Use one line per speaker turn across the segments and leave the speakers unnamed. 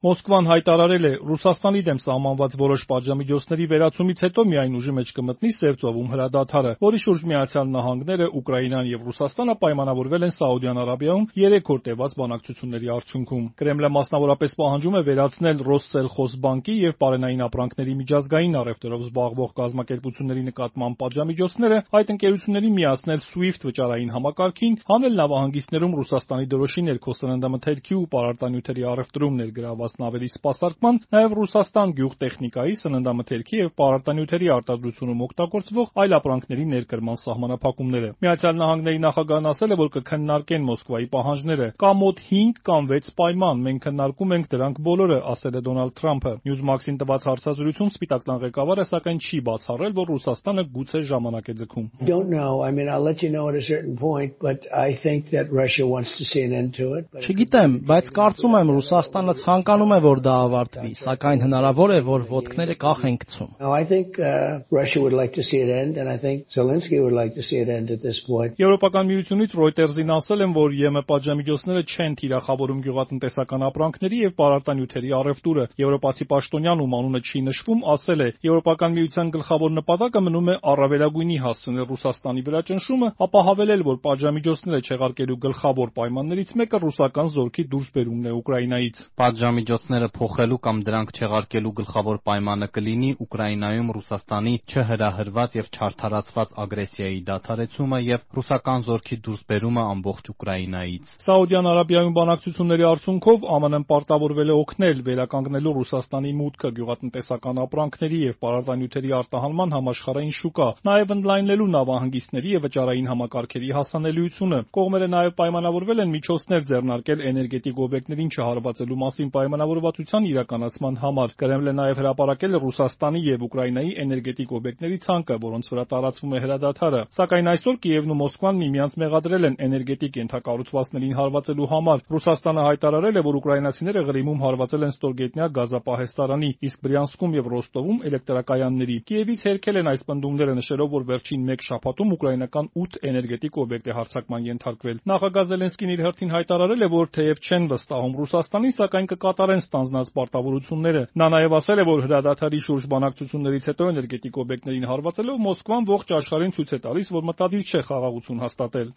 Մոսկվան հայտարարել է, Ռուսաստանի դեմ սահմանված որոշ պատժամիջոցների վերացումից հետո միայն ուժի մեջ կմտնի Սև ծովում հրադադարը, որի շուրջ Միացյալ Նահանգները, Ուկրաինան եւ Ռուսաստանը պայմանավորվել են Սաուդյան Արաբիայում 3 օր տևած բանակցությունների արդյունքում։ Կրեմլը մասնավորապես պահանջում է վերացնել Ռոսսելխոզբանկի եւ պարենային ապրանքների միջազգային առևտրով զբաղվող կազմակերպությունների նկատմամբ պատժամիջոցները, այդ ընկերություններին միացնել SWIFT վճարային համակարգին, հանել նավահանգիստներում Ռուսաստանի դրոշի ներքո սննդամթերքի ու պարարտանյութերի առևտրում ներգրավված նավերի սպասարկման, նաև Ռուսաստան գյուղտեխնիկայի, սննդամթերքի եւ պարարտանյութերի արտադրությունում օգտագործվող այլ ապրանքների ներկրման սահմանափակումները։ Միացյալ Նահանգների նախագահն ասել է, որ կքննարկեն Մոսկվայի պահանջները։ Կա մոտ 5 կամ 6 պայման, մենք քննարկում ենք դրանք բոլորը, ասել է Դոնալդ Թրամփը։ Newsmax-ին տված հարցազրույցում Սպիտակ տան ղեկավարը սակայն չի բացառել, որ Ռուսաստանը գուցե ժամանակ է ձգում։
Չգիտեմ, բայց կարծում եմ Ռուսաստանը ցանկանում է, որ դա ավարտվի, սակայն հնարավոր է, որ ոտքները կախ են գցում։
Եվրոպական միությունից Reuters-ին ասել են, որ ԵՄ պատժամիջոցները չեն թիրախավորում գյուղատնտեսական ապրանքների եւ պարարտանյութերի առևտուրը։ Եվրոպացի պաշտոնյան, ում անունը չի նշվում, ասել է. Եվրոպական միության գլխավոր նպատակը մնում է առավելագույնի հասցնել Ռուսաստանի վրա ճնշումը, ապահովել, որ պատժամիջոցները չեղարկելու գլխավոր պայմաններից մեկը ռուսական զորքի դուրսբերումն է Ուկրաինայից։
Պատժամիջոցները փոխելու կամ դրանք չեղարկելու գլխավոր պայմանը կլինի Ուկրաինայում Ռուսաստանի չհրահրված եւ չարդարացված ագրեսիայի դադարեցումը եւ ռուսական զորքի դուրսբերումը ամբողջ Ուկրաինայից։
Սաուդյան Արաբիայում բանակցությունների արդյունքով ԱՄՆ-ն պարտավորվել է օգնել վերականգնելու Ռուսաստանի մուտքը գյուղատնտեսական ապրանքների եւ պարարտանյութերի արտահանման համաշխարհային շուկա, նաեւ ընդլայնելու նավահանգիստների եւ վճարային համակարգերի հասանելիությունը։ Կողմերը նաեւ պայմանավորվել են միջոցներ ձեռնարկել էներգետիկ օբյեկտներին չհարվածելու մասին պայմանավորվածության իրականացման համար։ Կրեմլը նաեւ հրապարակել է Ռուսաստանի եւ Ուկրաինայի էներգետիկ օբյեկտների ցանկը, որոնց վրա տարածվում է հրադադարը։ Սակայն այսօր Կիևն ու Մոսկվան միմյանց մեղադրել են էներգետիկ ենթակառուցվածքներին հարվածելու համար։ Ռուսաստանը հայտարարել է, որ ուկրաինացիները Ղրիմում հարվածել են ստորգետնյա գազապահեստարանի, իսկ Բրյանսկում եւ Ռոստովում էլեկտրակայանների։ Կիևից հերքել են այս պնդումները, նշելով, որ վերջին 1 շաբաթում ուկրաինական 8 էներգետիկ օբյեկտ է հարձակման ենթարկվել։ Նախագահ Զելենսկին իր հերթին հայտարարել է, որ թեև չեն վստահում Ռուսաստանին, սակայն կկատարեն ստանձնած պարտավորությունները։ Նա նաեւ ասել է, որ հրադադարի շուրջ բանակցություններից հետո էներգետիկ օբյեկտներին հարվածելով Մոսկվան ողջ աշխարհին ցույց է տալիս, որ մտադիր չէ խաղաղություն հաստատել։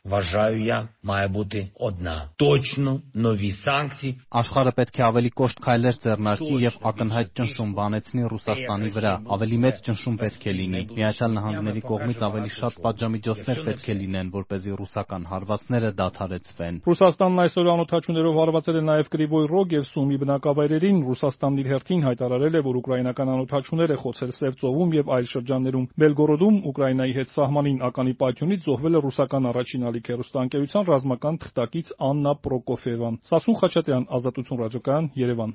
Աշխարհը պետք է ավելի կոշտ քայլեր ձեռնարկի եւ ակնհայտ ճնշում բանեցնի Ռուսաստանի վրա։ Ավելի մեծ ճնշում պետք է լինի։ Միացյալ Նահանգների կողմից ավելի շատ պատժամիջոցներ պետք է լինեն, որպեսզի ռուսական հարվածները դադարեցվեն։
Ռուսաստանն այսօր անօթաչուներով հարվածել է նաեւ Կրիվոյ Ռոգ եւ Սումի բնակավայրերին։ Ռուսաստանն իր հերթին հայտարարել է, որ ուկրաինական անօթաչուներ է խոցել Սև ծովում եւ այլ շրջաններում։ Բելգորոդում Ուկրաինայի հետ սահմանին ականի պայթյունից զոհվել է ռուսական առաջին ալիք հեռուստաընկերության ռազմական թղթակից Աննա Պրոկոֆիևան։ Սասուն Խաչատրյան, Ազատություն ռադիոկայան, Երևան։